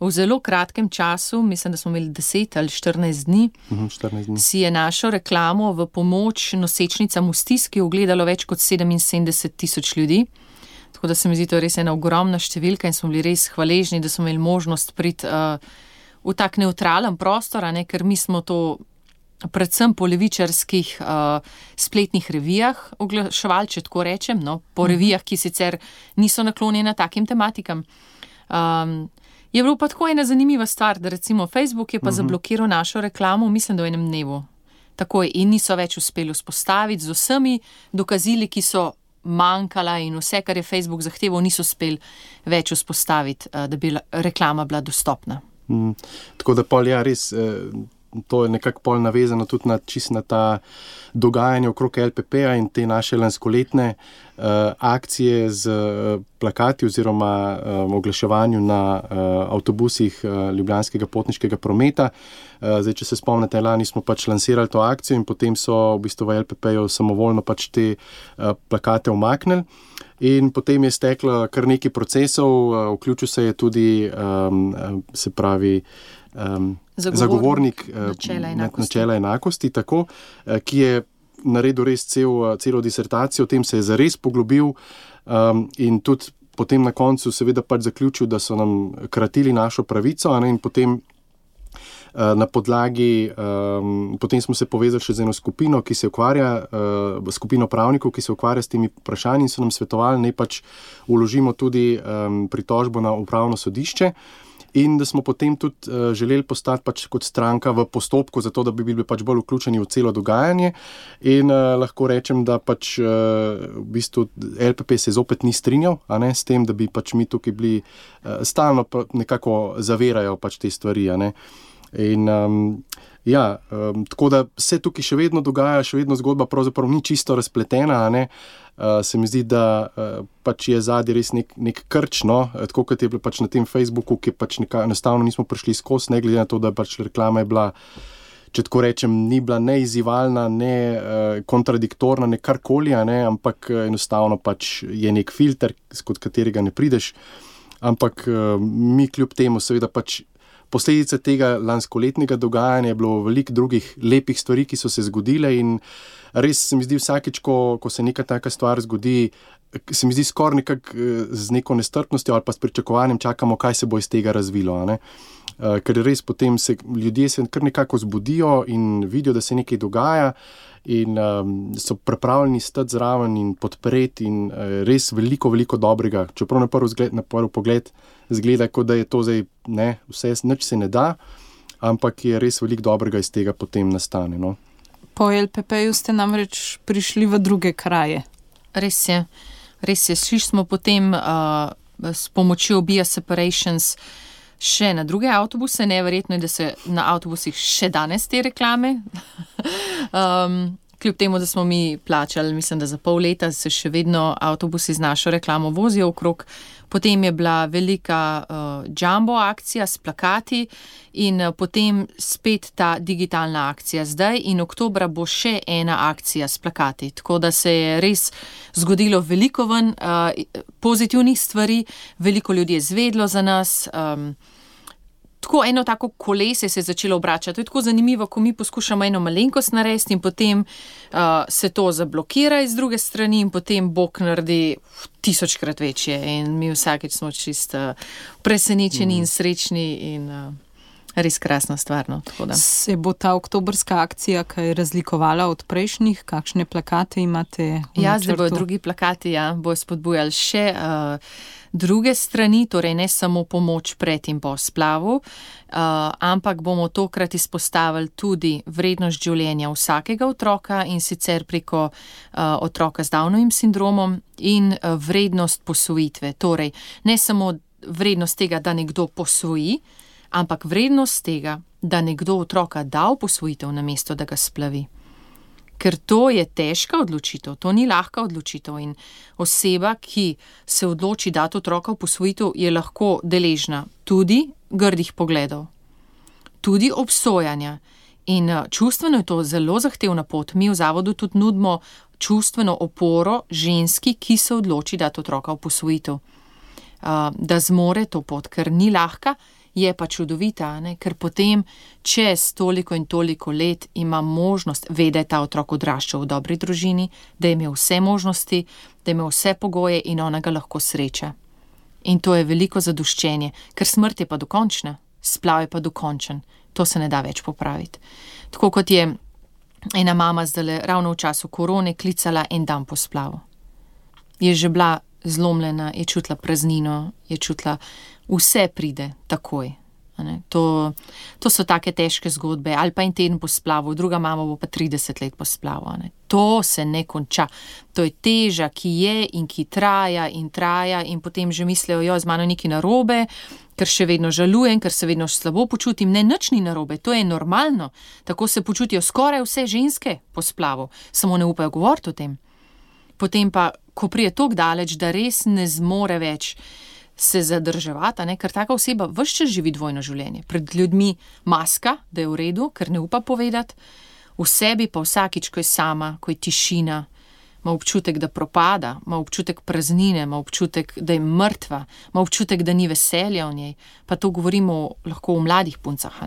V zelo kratkem času, mislim, da smo imeli 10 ali 14 dni, 14 dni, si je našo reklamo v pomoč nosečnicam v stiski ogledalo več kot 77,000 ljudi. Tako da se mi zdi, to je res ena ogromna številka in smo bili res hvaležni, da smo imeli možnost priti v tak neutralen prostor, ker mi smo to predvsem po levičarskih spletnih revijah oglaševali, če tako rečem, po revijah, ki sicer niso naklonjene takim tematikam. Je bilo pa tako ena zanimiva stvar, da recimo Facebook je pa zablokiral našo reklamo, mislim, da v enem dnevu. Takoj, in niso več uspeli vzpostaviti z vsemi dokazili, ki so manjkala in vse, kar je Facebook zahteval, niso uspeli več vzpostaviti, da bi reklama bila dostopna. Tako da pol, ja, res, to je nekako pol navezano tudi na ta dogajanje okrog LPP-ja in te naše lanskoletne akcije z plakati oziroma oglaševanju na avtobusih Ljubljanskega potniškega prometa. Zdaj, če se spomnite, lani smo pač lansirali to akcijo in potem so v bistvu v LPP-ju samovoljno pač te plakate umaknili. In potem je steklo kar nekaj procesov, vključil se je tudi, se pravi, zagovornik načela enakosti, tako, ki je naredil res celo disertacijo, o tem se je zares poglobil in tudi potem na koncu seveda pač zaključil, da so nam kratili našo pravico, in potem na podlagi, potem smo se povezali še z eno skupino, ki se ukvarja, skupino pravnikov, ki se ukvarja s temi vprašanji, in so nam svetovali, naj pač vložimo tudi pritožbo na upravno sodišče, in da smo potem tudi želeli postati pač kot stranka v postopku, zato da bi bili pač bolj vključeni v celo dogajanje. In lahko rečem, da pač v bistvu LPP se zopet ni strinjal, s tem, da bi pač mi tukaj bili stalno nekako zavirajo pač te stvari, In tako da se tukaj še vedno dogaja, še vedno zgodba pravzaprav ni čisto razpletena, se mi zdi, da pač je zadnji res nek krč, tako kot je bilo pač na tem Facebooku, ki pač enostavno nismo prišli skozi, ne glede na to, da pač reklama je bila, če tako rečem, ni bila ne izzivalna, ne kontradiktorna, ne karkoli, ampak enostavno pač je nek filter, skod katerega ne prideš, ampak mi kljub temu seveda pač posledice tega lanskoletnega dogajanja je bilo veliko drugih lepih stvari, ki so se zgodile, in res se mi zdi vsakič, ko se neka taka stvar zgodi, se mi zdi skoraj nekako z neko nestrpnostjo ali pa s pričakovanjem čakamo, kaj se bo iz tega razvilo, ne. Ker res potem ljudje se kar nekako zbudijo in vidijo, da se nekaj dogaja in so pripravljeni stati zraven in podpreti in res veliko, veliko dobrega. Čeprav na prvi pogled zgleda, kot da je to zdaj, ne, vse, nič se ne da, ampak je res veliko dobrega iz tega potem nastane, no. Po LPP-ju ste namreč prišli v druge kraje. Res je. Šli smo potem s pomočjo Bia Separations še na druge avtobuse. Neverjetno je, da se na avtobusih še danes te reklame. Kljub temu, da smo mi plačali, mislim, da za pol leta se še vedno avtobusi z našo reklamo vozijo okrog. Potem je bila velika jumbo akcija s plakati in potem spet ta digitalna akcija zdaj in oktobra bo še ena akcija s plakati. Tako da se je res zgodilo veliko pozitivnih stvari, veliko ljudi je zvedlo za nas. Tako eno tako kolesje se je začelo obračati. To je tako zanimivo, ko mi poskušamo eno malenkost narediti in potem se to zablokira iz druge strani in potem Bog naredi 1000-krat večje in mi vsakeč smo čisto presenečeni in srečni in res krasna stvar. No, se bo ta oktobrska akcija kaj razlikovala od prejšnjih? Kakšne plakate imate v načrtu? Ja, zdaj bojo drugi plakati, bojo spodbujali še druge strani, torej ne samo pomoč pred in po splavu, ampak bomo tokrat izpostavili tudi vrednost življenja vsakega otroka in sicer preko otroka z Downovim sindromom in vrednost posvojitve. Torej, ne samo vrednost tega, da nekdo posvoji, ampak vrednost tega, da nekdo otroka da v posvojitev namesto, da ga splavi. Ker to je težka odločitev, to ni lahka odločitev in oseba, ki se odloči dati otroka v posvojitev, je lahko deležna tudi grdih pogledov, tudi obsojanja in čustveno je to zelo zahtevna pot. Mi v zavodu tudi nudimo čustveno oporo ženski, ki se odloči dati otroka v posvojitev, da zmore to pot, ker ni lahka, je pa čudovita, ne? Ker potem čez toliko in toliko let ima možnost, ve, da je ta otrok odraščal v dobri družini, da je imel vse možnosti, da je imel vse pogoje in ona ga lahko sreča. In to je veliko zadoščenje, ker smrt je pa dokončna, splav je pa dokončen, to se ne da več popraviti. Tako kot je ena mama zdaj ravno v času korone klicala en dan po splavu. Je že bila zlomljena, je čutila praznino, je čutila vse pride takoj. To so take težke zgodbe. Ali pa en teden po splavu, druga mama bo pa 30 let po splavu. To se ne konča. To je teža, ki je in ki traja in potem že mislijo, z mano nekaj narobe, ker še vedno žalujem, ker se vedno slabo počutim. Ne, nič ni narobe, to je normalno. Tako se počutijo skoraj vse ženske po splavu, samo ne upajo govoriti o tem. Potem pa, ko prije toliko daleč, da res ne zmore več se zadrževati, ker taka oseba ves čas živi dvojno življenje. Pred ljudmi maska, da je v redu, ker ne upa povedati, v sebi pa vsakič, ko je sama, ko je tišina, ima občutek, da propada, ima občutek praznine, ima občutek, da je mrtva, ima občutek, da ni veselja v njej. Pa to govorimo lahko o mladih puncah,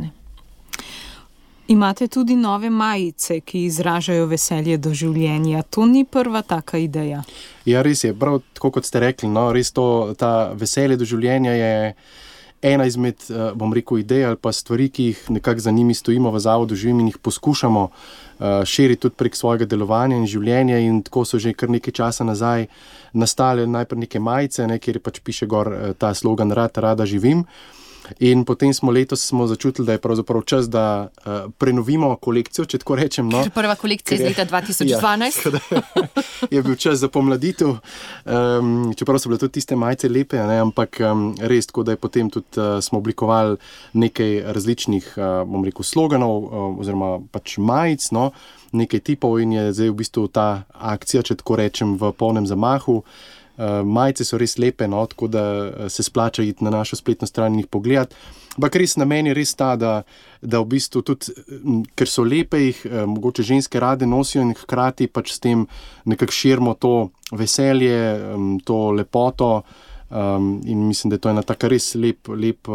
Imate tudi nove majice, ki izražajo veselje do življenja. To ni prva taka ideja. Ja, res je. Prav tako, kot ste rekli, res ta veselje do življenja je ena izmed, idej ali pa stvari, ki jih nekako za njimi stojimo v zavodu Živim in jih poskušamo širiti tudi prek svojega delovanja in življenja in tako so že kar nekaj časa nazaj nastale najprej neke majice, kjer piše gor ta slogan Rada živim. In potem letos smo začutili, da je pravzaprav čas, da prenovimo kolekcijo, če tako rečem. Prva kolekcija iz leta 2012. Je bil čas za pomladitev, čeprav so bile tudi tiste majice lepe, ampak res tako, da je potem tudi smo oblikovali nekaj različnih, sloganov oziroma pač majic, nekaj tipov in je zdaj v bistvu ta akcija, če tako rečem, v polnem zamahu. Majice so res lepe, tako da se splača iti na našo spletno stran in jih pogledati. Ampak res namen je res ta, da v bistvu tudi, ker so lepe, jih mogoče ženske rade nosijo in hkrati pač s tem nekako širimo to veselje, to lepoto in mislim, da je to ena taka res lep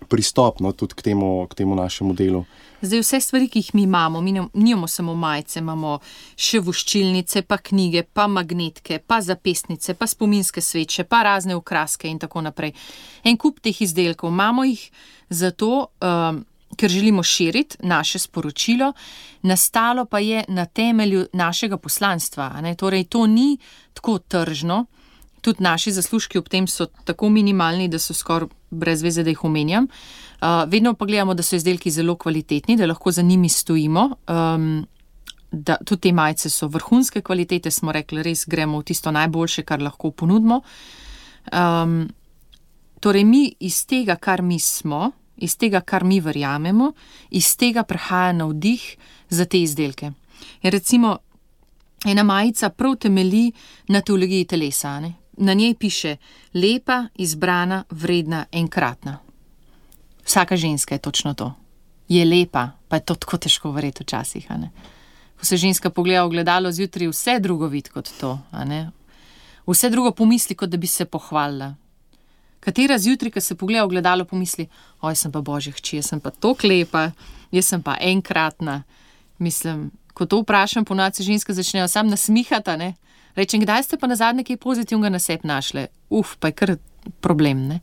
pristop, no, tudi k temu našemu delu. Zdaj vse stvari, ki jih mi imamo, nimamo samo majice, imamo še voščilnice, pa knjige, pa magnetke, pa zapestnice, pa spominske sveče, pa razne okraske in tako naprej. En kup teh izdelkov imamo jih zato, ker želimo širiti naše sporočilo, nastalo pa je na temelju našega poslanstva. Ne? Torej, to ni tako tržno, tudi naši zaslužki ob tem so tako minimalni, da so skoraj brez veze, da jih omenjam. Vedno pa gledamo, da so izdelki zelo kvalitetni, da lahko za njimi stojimo. Da tudi te majice so vrhunske kvalitete, smo rekli, res gremo v tisto najboljše, kar lahko ponudimo. Torej, mi iz tega, kar mi smo, iz tega, kar mi verjamemo, iz tega prihaja navdih za te izdelke. In recimo, ena majica prav temelji na teologiji telesa. Ne? Na njej piše lepa, izbrana, vredna, enkratna. Vsaka ženska je točno to. Je lepa, pa je to tako težko verjeti včasih. Ko se ženska pogleda v ogledalo zjutraj, vse drugo vidi kot to. Vse drugo pomisli, kot da bi se pohvalila. Katera zjutraj, ko se pogleda v ogledalo, pomisli, oj, sem pa božja hči, jaz sem pa toliko lepa, jaz sem pa enkratna. Mislim, ko to vprašam, ponovadi se ženske začnejo sam nasmihati, ne? Rečem, kdaj ste pa nazadnje kaj pozitivnega na sebi našle? Pa je kar problem, ne?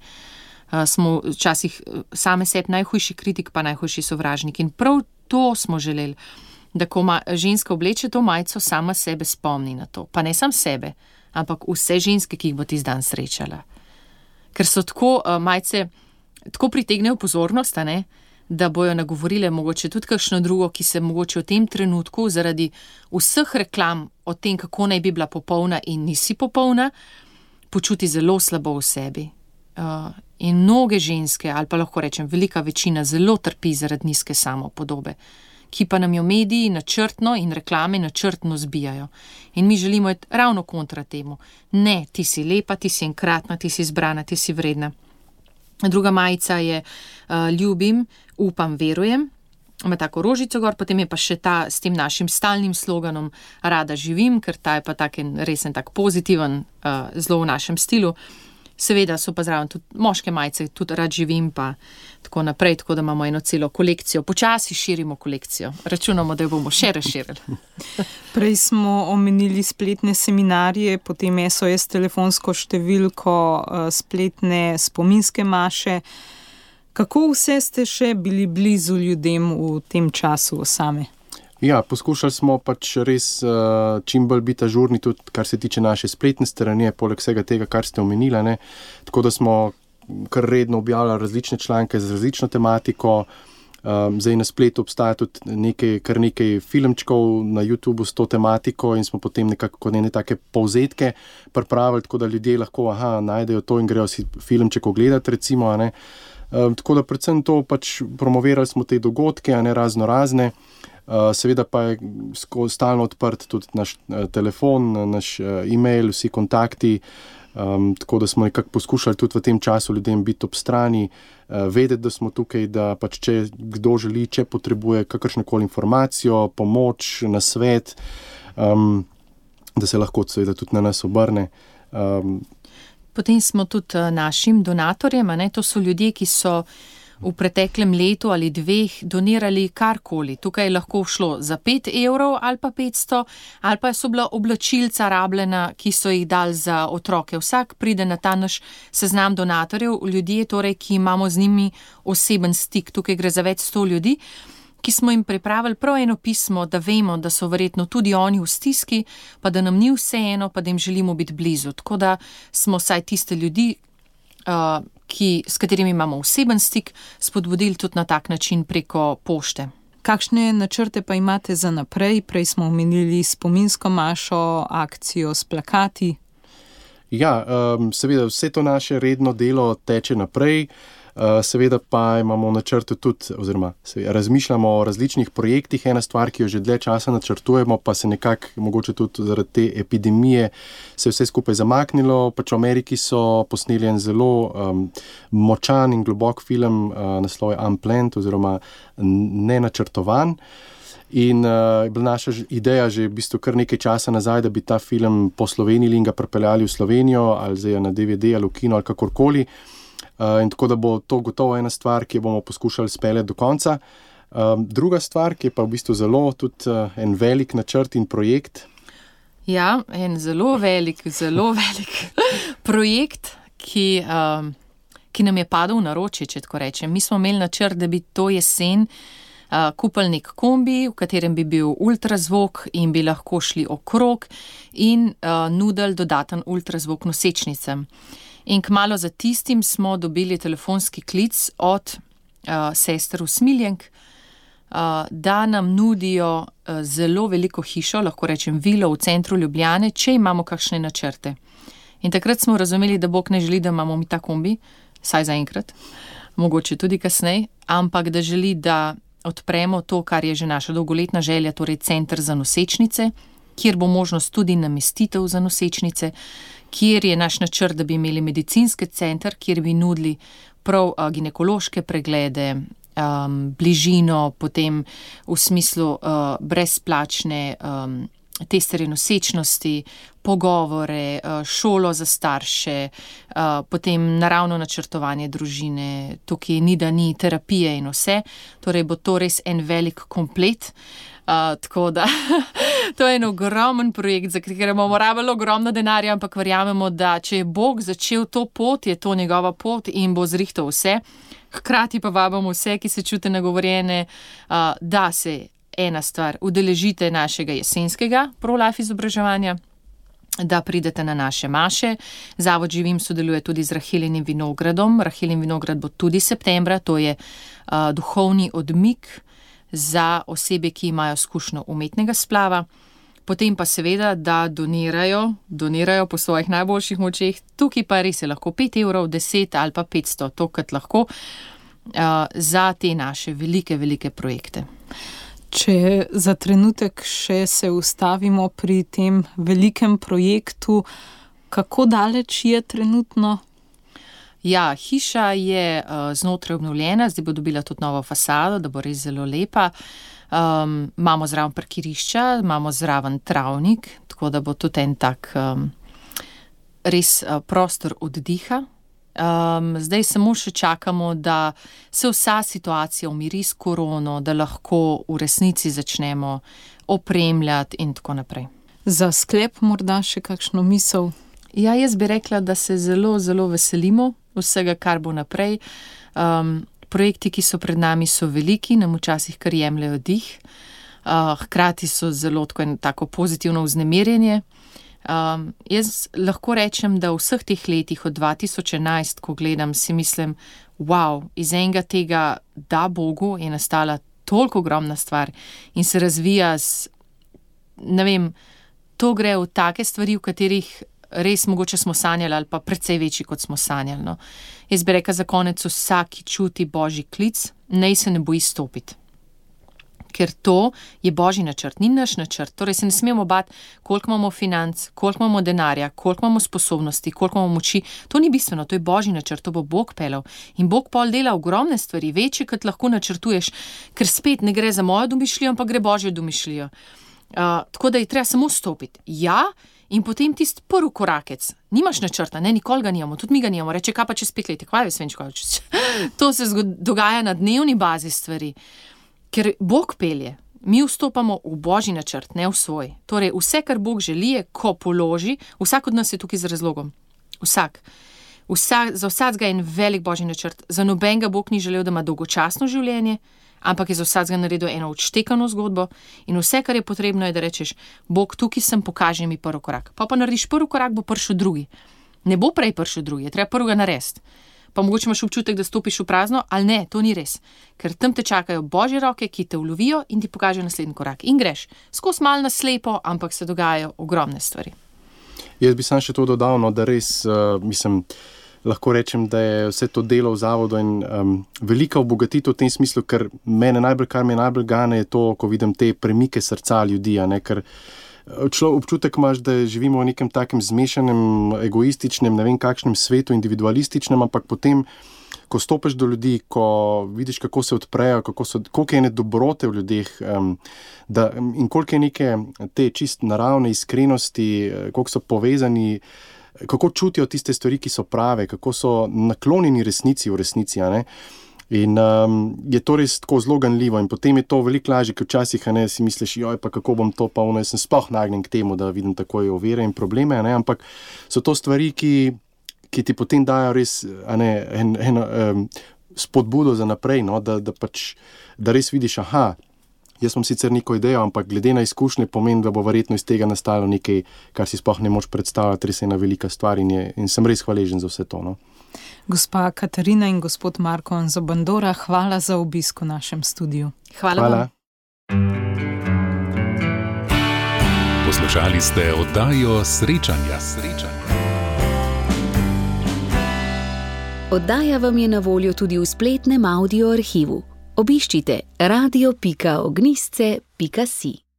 Smo včasih same sebi najhujši kritik, pa najhujši sovražnik. In prav to smo želeli, da ko ženska obleče to majico, sama sebe spomni na to. Pa ne sam sebe, ampak vse ženske, ki jih bo tisti dan srečala. Ker so tako majice, tako pritegnejo pozornost, ne? Da bojo nagovorile mogoče tudi kakšno drugo, ki se mogoče v tem trenutku zaradi vseh reklam o tem, kako naj bi bila popolna in nisi popolna, počuti zelo slabo v sebi. In mnoge ženske, ali pa lahko rečem, velika večina zelo trpi zaradi nizke samopodobe, ki pa nam jo mediji načrtno in reklame načrtno zbijajo. In mi želimo iti ravno kontra temu. Ne, ti si lepa, ti si enkratna, ti si izbrana, ti si vredna. Druga majica je ljubim, upam, verujem. Ima tako rožico gor, potem je pa še ta s tem našim stalnim sloganom rada živim, ker ta je pa resen tak pozitiven, zelo v našem stilu. Seveda so pa zraven tudi moške majice, tudi rad živim pa tako naprej, tako da imamo eno celo kolekcijo. Počasi širimo kolekcijo. Računamo, da jo bomo še razširili. Prej smo omenili spletne seminarje, potem SOS telefonsko številko, spletne spominske maše. Kako vse ste še bili blizu ljudem v tem času same? Ja, poskušali smo pač res čim bolj biti ažurni, tudi kar se tiče naše spletne strani, poleg vsega tega, kar ste omenili, ne. Tako da smo kar redno objavljali različne članke z različno tematiko. Zdaj na spletu obstaja tudi kar nekaj filmčkov na YouTubeu s to tematiko in smo potem nekako take povzetke pripravili, tako da ljudje lahko najdejo to in grejo si filmček ogledati, recimo, ne. Tako da predvsem to pač promovirali smo te dogodke, razne. Seveda pa je stalno odprt tudi naš telefon, naš e-mail, vsi kontakti, tako da smo nekako poskušali tudi v tem času ljudem biti ob strani, vedeti, da smo tukaj, da pač če kdo želi, če potrebuje kakršnokoli informacijo, pomoč, nasvet, da se lahko seveda tudi na nas obrne. Potem smo tudi našim donatorjem, to so ljudje, ki so v preteklem letu ali 2 donirali karkoli. Tukaj je lahko šlo za 5 evrov ali pa 500, ali pa so bila oblačilca rabljena, ki so jih dali za otroke. Vsak pride na ta naš seznam donatorjev, ljudje, torej, ki imamo z njimi oseben stik. Tukaj gre za več 100 ljudi, ki smo jim pripravili prav eno pismo, da vemo, da so verjetno tudi oni v stiski, pa da nam ni vseeno, pa da jim želimo biti blizu. Tako da smo vsaj tiste ljudi, s katerimi imamo oseben stik, spodbudili tudi na tak način preko pošte. Kakšne načrte pa imate za naprej? Prej smo omenili spominsko mašo, akcijo s plakati. Ja, seveda vse to naše redno delo teče naprej. Seveda pa imamo v načrtu tudi, oziroma razmišljamo o različnih projektih. Ena stvar, ki jo že dlje časa načrtujemo, pa se nekako, mogoče tudi zaradi te epidemije, se je vse skupaj zamaknilo. Pač v Ameriki so posneli en zelo močan in globok film, naslov je Unplanned, oziroma nenačrtovan. In je bila naša ideja že v bistvu kar nekaj časa nazaj, da bi ta film poslovenili in ga pripeljali v Slovenijo, ali zdaj na DVD ali v kino ali kakorkoli. In tako da bo to gotovo ena stvar, ki jo bomo poskušali speljati do konca. Druga stvar, ki je pa v bistvu zelo tudi en velik načrt in projekt. Ja, en zelo velik projekt, ki nam je padel v naročje, če tako rečem. Mi smo imeli načrt, da bi to jesen kupili nek kombi, v katerem bi bil ultrazvok in bi lahko šli okrog in nudili dodaten ultrazvok nosečnicam. In kmalu za tistim smo dobili telefonski klic od sester usmiljenk, da nam nudijo zelo veliko hišo, lahko rečem vilo v centru Ljubljane, če imamo kakšne načrte. In takrat smo razumeli, da Bog ne želi, da imamo mi ta kombi, saj zaenkrat, mogoče tudi kasneje, ampak da želi, da odpremo to, kar je že naša dolgoletna želja, torej center za nosečnice, kjer bo možnost tudi namestitev za nosečnice, kjer je naš načrt, da bi imeli medicinski center, kjer bi nudili prav ginekološke preglede, bližino, potem v smislu brezplačne testerje nosečnosti, pogovore, šolo za starše, potem naravno načrtovanje družine, tukaj ni da ni terapije in vse, torej bo to res en velik komplet. Tako da, to je en ogromen projekt, za katerega bomo rabili ogromno denarja, ampak verjamemo, da če je Bog začel to pot, je to njegova pot in bo zrihtal vse. Hkrati pa vabimo vse, ki se čute nagovorjene, da se ena stvar, udeležite našega jesenskega pro-life izobraževanja, da pridete na naše maše. Zavod Živim sodeluje tudi z Rahelinim vinogradom. Rahelin vinograd bo tudi septembra, to je duhovni odmik za osebe, ki imajo izkušnjo umetnega splava. Potem pa seveda, da donirajo po svojih najboljših močeh. Tukaj pa res je lahko 5 evrov, 10 ali pa 500, to kot lahko, za te naše velike projekte. Če za trenutek še se ustavimo pri tem velikem projektu, kako daleč je trenutno? Ja, hiša je znotraj obnovljena, zdaj bo dobila tudi novo fasado, da bo res zelo lepa. Imamo zraven parkirišča, imamo zraven travnik, tako da bo tudi en tak res prostor oddiha. Zdaj samo še čakamo, da se vsa situacija umiri s korono, da lahko v resnici začnemo opremljati in tako naprej. Za sklep morda še kakšno misel? Ja, jaz bi rekla, da se zelo veselimo vsega, kar bo naprej. Projekti, ki so pred nami, so veliki, nam včasih kar jemljajo dih. Hkrati so zelo tako pozitivno vznemirjenje. Jaz lahko rečem, da v vseh teh letih od 2011, ko gledam, si mislim, wow, iz enega tega da Bogu je nastala toliko ogromna stvar in se razvija ne vem, to gre v take stvari, v katerih res mogoče smo sanjali ali pa precej večji, kot smo sanjali. No. Jaz bi rekla za konec, vsak, ki čuti Božji klic, naj se ne boji stopiti. Ker to je Božji načrt, ni naš načrt. Torej se ne smemo bati, koliko imamo financ, koliko imamo denarja, koliko imamo sposobnosti, koliko imamo moči. To ni bistveno, to je Božji načrt, to bo Bog peljal. In Bog pol dela ogromne stvari, večje, kot lahko načrtuješ, ker spet ne gre za mojo domišljijo, ampak gre Božjo domišljijo. Tako da je treba samo stopiti. Ja, in potem tisti prvi korakec. Nimaš načrta, ne, nikoli ga nimamo, tudi mi ga nimamo. Reče, kaj pa čez 5 let, kaj veš, to se dogaja na dnevni bazi stvari. Ker Bog pelje, mi vstopamo v Božji načrt, ne v svoj. Torej, vse, kar Bog želi, je, ko položi, vsak od nas je tukaj z razlogom. Za vsakega je en velik Božji načrt. Za nobenega Bog ni želel, da ima dolgočasno življenje, ampak je za vsakega naredil eno odštekano zgodbo in vse, kar je potrebno, je, da rečeš, Bog, tukaj sem, pokaži mi prvi korak. Pa narediš prvi korak, bo prišel drugi. Ne bo prej prišel drugi, je treba prvega narediti. Pa mogoče imaš občutek, da stopiš v prazno, ali ne, to ni res. Ker tam te čakajo Božje roke, ki te ulovijo in ti pokažejo naslednji korak. In greš. Skozi malo na slepo, ampak se dogajajo ogromne stvari. Jaz bi sam še to dodal, no, da res, lahko rečem, da je vse to delo v zavodu in velika obogatitev v tem smislu, ker kar me najbolj gane, je to, ko vidim te premike srca ljudi, ne, ker občutek imaš, da živimo v nekem takem zmešanem, egoističnem, ne vem kakšnem svetu, individualističnem, ampak potem, ko stopiš do ljudi, ko vidiš, kako se odprejo, koliko je ene dobrote v ljudeh in koliko je neke te čist naravne iskrenosti, koliko so povezani kako čutijo tiste stvari, ki so prave, kako so naklonjeni resnici v resnici, a ne. In je to res tako zelo ganljivo in potem je to veliko lažje, ker včasih si misliš, joj, pa kako bom to, pa jaz sem sploh nagnjen k temu, da vidim takoj ovire in probleme, a ne, ampak so to stvari, ki ti potem dajo res, a ne, spodbudo za naprej, no, da res vidiš, jaz sem sicer neko idejo, ampak glede na izkušnje pomeni, da bo verjetno iz tega nastalo nekaj, kar si sploh ne moč predstavljati, res je ena velika stvar in sem res hvaležen za vse to, no. Gospa Katarina in gospod Marko Anzobandora, hvala za obisk v našem studiu. Hvala vam. Poslušali ste oddajo Srečanja. Oddaja vam je na voljo tudi v spletnem audio arhivu. Obiščite radio.ognisce.si.